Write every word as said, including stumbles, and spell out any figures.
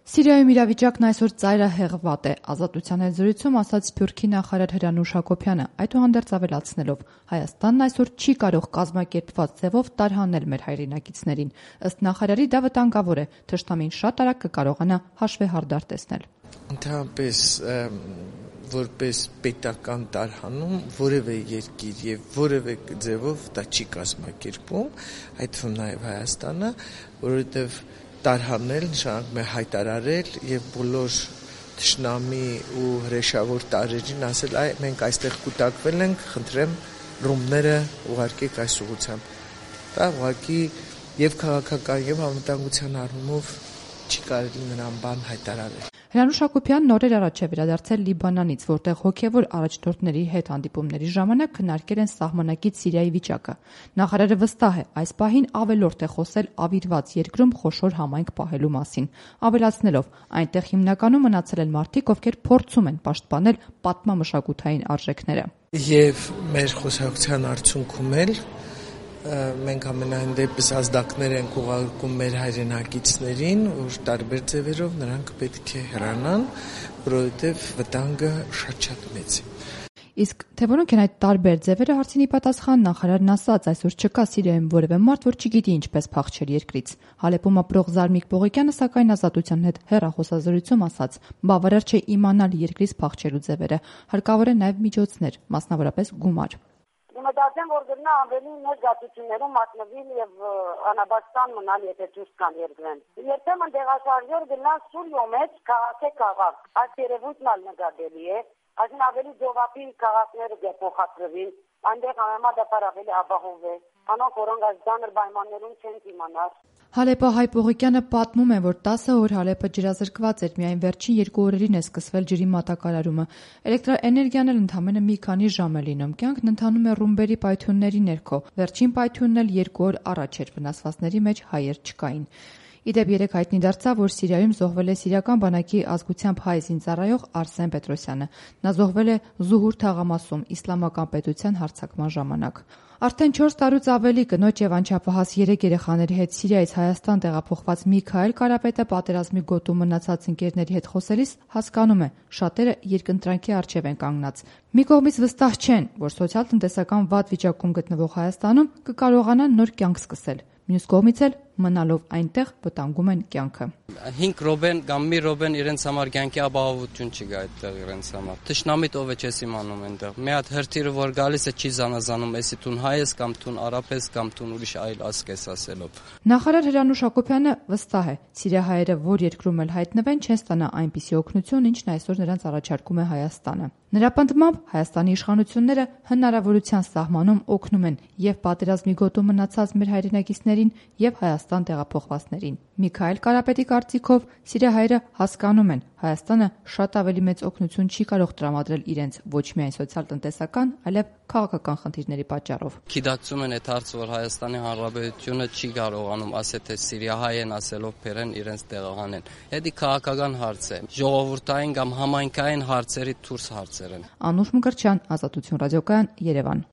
Սիրիայում իրավիճակն այսօր ծայրահեղված է, Ազատության հետ զրույցում ասաց Սփյուռքի նախարար Հրանուշ Հակոբյանը, այդուհանդերձ ավելացնելով. Հայաստանն այսօր չի կարող կազմակերպված ձևով տարհանել մեր հայրենակիցներին։ Ըստ նախարարի դա վտանգավոր է, թշնամին շատ արագ կկարողանա հաշվեհարդար տեսնել։ Ընդհանրապես որպես պետական տարհանում որևէ երկիր եւ որևէ ձևով դա չի կազմակերպում, այդ թվում նաեւ Հայաստանը, որովհետեւ տարհանել նշանակում է հայտարարել եւ բոլոր թշնամի ու հրեշավոր տարրերին ասել, այ մենք այստեղ կուտակվել ենք, խնդրեմ ռումբները ուղարկեք այս ուղղությամբ։ Դա ուղղակի եւ քաղաքական եւ անվտանգության առումով չի կարելի նրան բան հայտարարել։ Հրանուշ Հակոբյանն օրեր առաջ է վերադարձել Լիբանանից, որտեղ հոգևոր առաջնորդների հետ հանդիպումների ժամանակ քննարկել են սահմանակից Սիրիայի վիճակը։ Նախարարը վստահ է, այս պահին ավելորդ է խոսել ավիրված երկրում խոշոր համայնք պահելու մասին, ավելացնելով, այնտեղ հիմնականում մնացել են մարդիկ, ովքեր փորձում են պաշտպանել պատմամշակութային արժեքները։ Եվ մեր խոսակցության արդյունքում էլ մենք ամենայն դեպս ազդակներ ենք ուղարկում մեր հայրենակիցներին, որ տարբեր ձևերով նրանք պետք է հեռանան, որովհետև վտանգը շատ-շատ մեծ է։ Իսկ թե որոնք են այդ տարբեր ձևերը, հարցինի պատասխան նախարարն ասաց, այսօր չկա Սիրիայում որևէ մարդ, որ չգիտի ինչպես փախչել երկրից։ Հալեպում ապրող Զարմիկ Պողոկյանը սակայն Ազատության հետ հեռախոսազրույցում ասաց, բավարար չէ իմանալ երկրից փախչելու ձևերը, հարկավոր է նաև միջոցներ, մասնավորապես գումար։ Մտածեմ, որ գտնա ավելի մեծ գացություններում մատնվել եւ անաբաստան մնալ, եթե դուրս կան երկրեն։ Երբեմն դեղաշարժեր գնան Սուրիո մեջ քաղաքի քաղաք, այս երևույթն ալ նկատելի է, այսին ավելի ձովապի քաղաքները գեփոխադրվին, այնտեղ համեմատաբար ավելի ապահով է, անոնք որոնք այս ձանր պայմաններում չեն իմանալ։ Հալեպո հայ Պողոկյանը պատմում է, որ տասը օր Հալեպը ջրազրկված էր, միայն վերջին երկու օրերին է սկսվել ջրի մատակարարումը։ Էլեկտրաէներգիան էլ ընդամենը մի քանի ժամ է լինում։ Կյանքն ընթանում է ռումբերի պայթյունների ներքո։ Վերջին պայթյունն էլ երկու օր առաջ էր, վնասվածների մեջ հայեր չկային։ Իդեպ երեք հայտնի դարձավ, որ Սիրիայում զոհվել է սիրիական բանակի ազգությամբ հայ զինծառայող Արսեն Պետրոսյանը։ Նա զոհվել է Զուհուր թաղամասում իսլամական պետության հարձակման ժամանակ։ Արդեն չորս տարուց ավելի կնոջ եւ անչափահաս երեք երեխաների հետ Սիրիայից Հայաստան տեղափոխված Միքայել Կարապետը պատերազմի գոտում մնացած ընկերների հետ խոսելիս հասկանում է, շատերը երկընտրանքի առջև են կանգնած։ Մի կողմից վստահ չեն, որ սոցիալ-տնտեսական վատ վիճակում գտնվող Հայաստանում կկարողանան նոր կյանք սկսել։ Մյուս կողմից էլ մնալով այնտեղ վտանգում են կյանքը։ հինգ րոպեն կամ մի րոպեն իրենց համար կյանքի ապահովություն չկա այդտեղ իրենց համար։ Թշնամիտ ով է չես իմանում այնտեղ։ Մի հատ հրթիռը որ գալիս է չի զանազանում, էսի տուն հայ ես կամ տուն արաբ ես կամ տուն ուրիշ այլ ազգ ես ասելով։ Նախարար Հրանուշ Հակոբյանը վստահ է, սիրիահայերը որ երկրում էլ հայտնվեն չեն ստանա այնպիսի օգնություն, ինչն այսօր նրանց առաջարկում է Հայաստանը։ Նրա պնդմամբ Հայաստանի իշխանությունները հնարավորության սահմանում օգնում են եւ պատերազմի գոտում մնացած մեր հայրենակիցներին եւ Հայաստան տեղափոխվածներին։ Միքայել Կարապետի կարծիքով սիրիահայերը հասկանում են, Հայաստանը շատ ավելի մեծ օգնություն չի կարող տրամադրել իրենց ոչ միայն սոցիալ-տնտեսական, այլև քաղաքական խնդիրների պատճառով։ Գիտակցում են այդ հարցը, որ Հայաստանի Հանրապետությունը չի կարողանում ասել, թե սիրիահայ են ասելով բերեն իրենց տեղահանեն։ Դա քաղաքական հարց է, ժողովրդային կամ համայնքային հարցերի դուրս հարցեր են։ Անուշ Մկրտչյան, Ազատություն ռադիոկայան, Երևան։